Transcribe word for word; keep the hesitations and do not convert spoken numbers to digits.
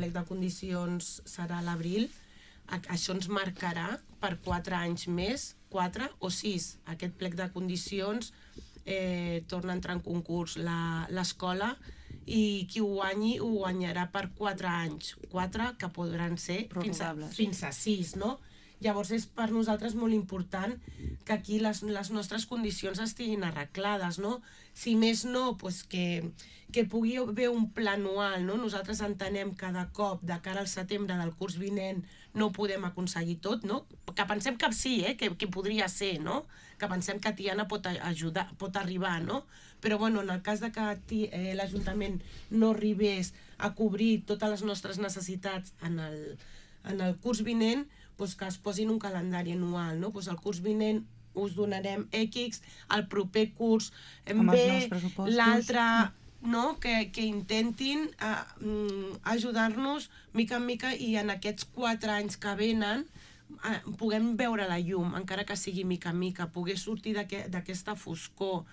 plec de condicions serà a l'abril, això ens marcarà per quatre anys més, quatre o sis. Aquest plec de condicions eh, torna a entrar en concurs l'escola i qui ho guanyi ho guanyarà per quatre anys. Quatre que podran ser fins a, fins a sis, no? Llavors és per nosaltres molt important que aquí les, les nostres condicions estiguin arreglades, no? Si més no, pues que, que pugui haver un pla anual, no? Nosaltres entenem cada cop, de cara al setembre del curs vinent, no ho podem aconseguir tot, no? Que pensem que sí, eh? que, que podria ser, no? Que pensem que Tiana pot ajudar, pot arribar, no? Però bueno, en el cas de que eh, l'Ajuntament no arribés a cobrir totes les nostres necessitats en el, en el curs vinent, pues que es posin un calendari anual, no? Pues el curs vinent us donarem X, el proper curs en B, l'altre, no? Que, que intentin uh, ajudar-nos mica en mica i en aquests quatre anys que venen uh, puguem veure la llum, encara que sigui mica en mica, poder sortir d'aquesta foscor,